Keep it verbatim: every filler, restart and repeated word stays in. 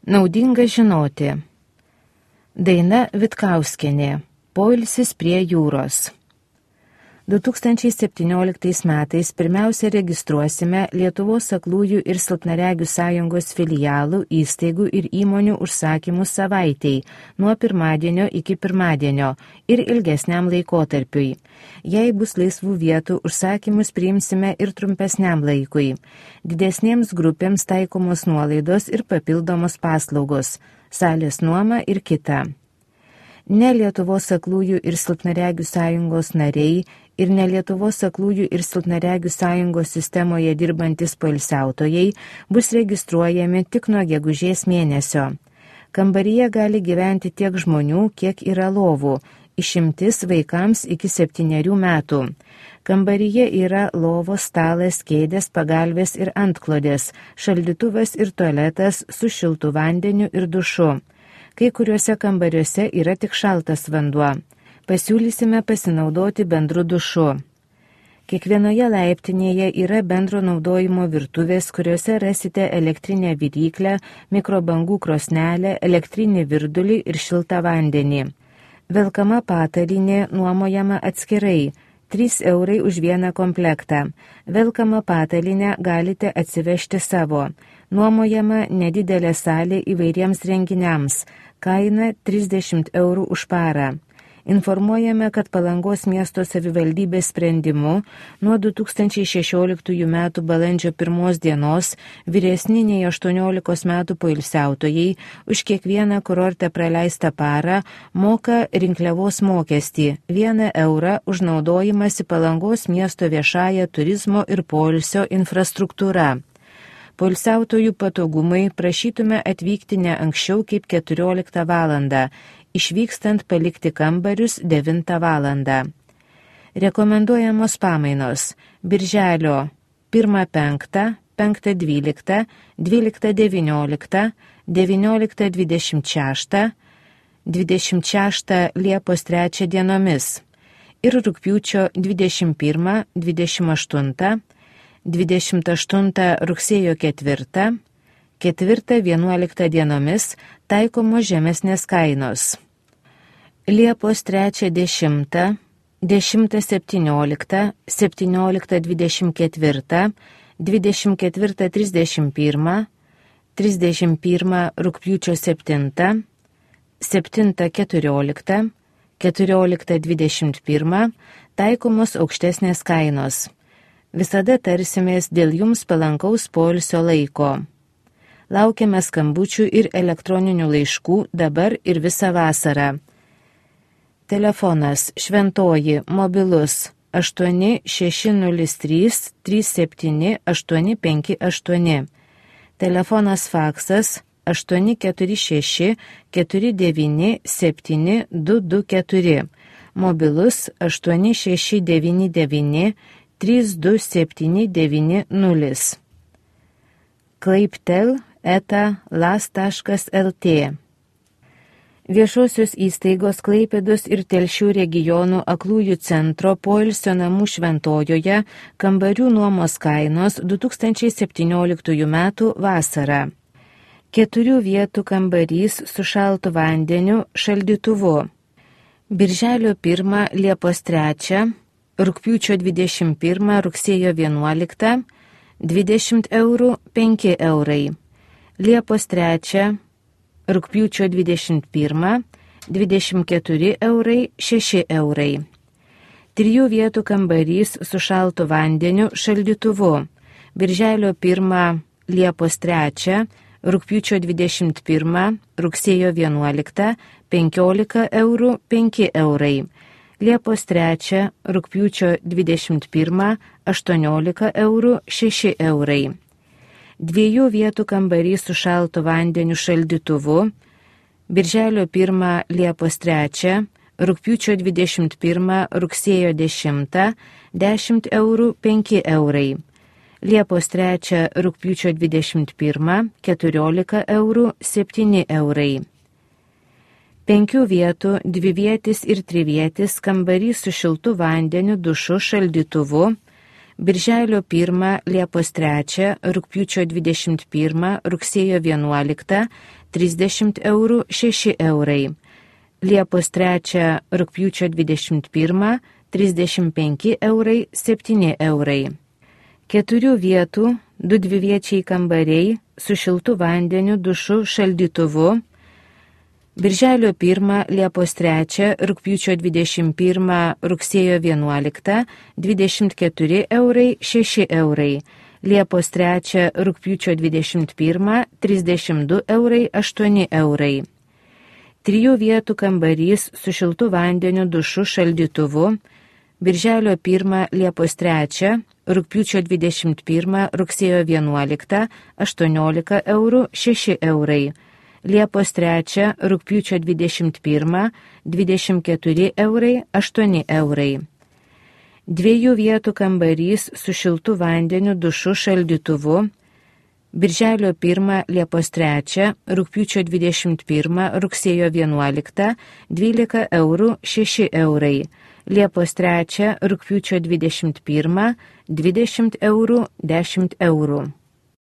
Naudinga žinoti. Daina Vitkauskienė. Poilsis prie jūros. du tūkstančiai septynioliktais metais pirmiausia registruosime Lietuvos aklųjų ir silpnaregių sąjungos filialų, įstaigų ir įmonių užsakymus savaitei nuo pirmadienio iki pirmadienio ir ilgesniam laikotarpiui. Jei bus laisvų vietų, užsakymus priimsime ir trumpesniam laikui. Didesnėms grupėms taikomos nuolaidos ir papildomos paslaugos, salės nuoma ir kita. Ne Lietuvos aklųjų ir silpnaregių sąjungos nariai ir ne Lietuvos aklųjų ir silpnaregių sąjungos sistemoje dirbantis poilsiautojai bus registruojami tik nuo gegužės mėnesio. Kambaryje gali gyventi tiek žmonių, kiek yra lovų, išimtis vaikams iki septynerių metų. Kambaryje yra lovos, stalas, kėdės, pagalvės ir antklodės, šaldytuvas ir tualetas su šiltu vandeniu ir dušu. Kai kuriuose kambariuose yra tik šaltas vanduo. Pasiūlysime pasinaudoti bendru dušu. Kiekvienoje laiptinėje yra bendro naudojimo virtuvės, kuriuose rasite elektrinę viryklę, mikrobangų krosnelę, elektrinį virdulį ir šiltą vandenį. Velkama patalynė nuomojama atskirai, trys eurai už vieną komplektą. Velkamą patalynę galite atsivežti savo. Nuomojama nedidelė salė įvairiems renginiams, kaina trisdešimt eurų už parą. Informuojame, kad Palangos miesto savivaldybės sprendimu nuo du tūkstančiai šešioliktųjų metų balandžio pirmos dienos vyresni nei aštuoniolikos metų poilsiautojai už kiekvieną kurorte praleistą parą moka rinkliavos mokestį vieną eurą už naudojimąsi Palangos miesto viešąją turizmo ir poilsio infrastruktūra. Poilsiautojų patogumai prašytume atvykti ne anksčiau kaip keturioliktą valandą, išvykstant palikti kambarius devintą valandą. Rekomenduojamos pamainos birželio pirmą penktą, penktą dvyliktą, dvyliktą devynioliktą, devynioliktą dvidešimt šeštą, dvidešimt šeštą Liepos trečią dienomis ir rugpjūčio dvidešimt pirmą, dvidešimt aštuntą, dvidešimt aštuntą rugsėjo ketvirtą, ketvirtą vienuoliktą dienomis taikomos žemesnės kainos. Liepos trečią dešimtą, dešimtą septynioliktą, septynioliktą dvidešimt ketvirtą, dvidešimt ketvirtą trisdešimt pirmą, trisdešimt pirmą rugpjūčio septintą, septintą keturioliktą, keturioliktą dvidešimt pirmą taikomos aukštesnės kainos. Visada tarsimės dėl jums palankaus poilsio laiko. Laukiame skambučių ir elektroninių laiškų dabar ir visą vasarą. Telefonas Šventoji mobilus aštuoni šeši nulis trys trys septyni aštuoni penki aštuoni. Telefonas faksas aštuoni keturi šeši keturi devyni septyni du du keturi. Mobilus aštuoni šeši devyni devyni trys du septyni devyni nulis. klaiptel eta las taškas lt. Viešosios įstaigos Klaipėdos ir Telšių regionų aklųjų centro poilsio namų Šventojoje kambarių nuomos kainos du tūkstančiai septynioliktųjų metų vasarą. Keturių vietų kambarys su šaltu vandeniu šaldytuvu. Birželio pirmą, Liepos trečią, rugpjūčio dvidešimt pirmą, rugsėjo vienuoliktą, dvidešimt eurų, penki eurai. Liepos trečią, rugpjūčio dvidešimt pirmą, dvidešimt keturi eurai, šeši eurai. Trijų vietų kambarys su šaltu vandeniu šaldytuvu. Birželio pirmą, Liepos trečią, rugpjūčio dvidešimt pirmą, rugsėjo vienuoliktą, penkiolika eurų, penki eurai. Liepos trečią, rugpjūčio dvidešimt pirmą, aštuoniolika eurų, šeši eurai. Dviejų vietų kambarys su šaltu vandeniu šaldytuvu. Birželio pirmą, Liepos trečią, rugpjūčio dvidešimt pirmą, rugsėjo dešimtą, dešimt eurų, penki eurai. Liepos trečią, rugpjūčio dvidešimt pirmą, keturiolika eurų, septyni eurai. Penkių vietų, dvivietis ir trivietis kambarys su šiltu vandeniu, dušu, šaldytuvu. Birželio pirmą, Liepos trečią, rugpjūčio dvidešimt pirmą, rugsėjo vienuoliktą trisdešimt eurų šeši eurai. Liepos trečią, rugpjūčio dvidešimt pirmą trisdešimt penki eurai septyni eurai. Keturių vietų, du dviviečiai kambariai su šiltu vandeniu, dušu, šaldytuvu. Birželio pirmą, Liepos trečią, rugpjūčio dvidešimt pirmą, rugsėjo vienuoliktą dvidešimt keturi eurai šeši eurai. Liepos trečią, rugpjūčio dvidešimt pirmą trisdešimt du eurai aštuoni eurai. Trijų vietų kambarys su šiltu vandeniu, dušu, šaldytuvu. Birželio pirmą, Liepos trečią, rugpjūčio dvidešimt pirmą, rugsėjo vienuoliktą aštuoniolika eurų šeši eurai. Liepos trečią, rugpjūčio dvidešimt pirmą dvidešimt keturi eurai aštuoni eurai. Dviejų vietų kambarys su šiltu vandeniu, dušu, šaldytuvu. Birželio pirmą, Liepos trečią, rugpjūčio dvidešimt pirmą, rugsėjo vienuoliktą dvylika eurų šeši eurai. Liepos trečią, rugpjūčio dvidešimt pirmą dvidešimt eurų dešimt eurų.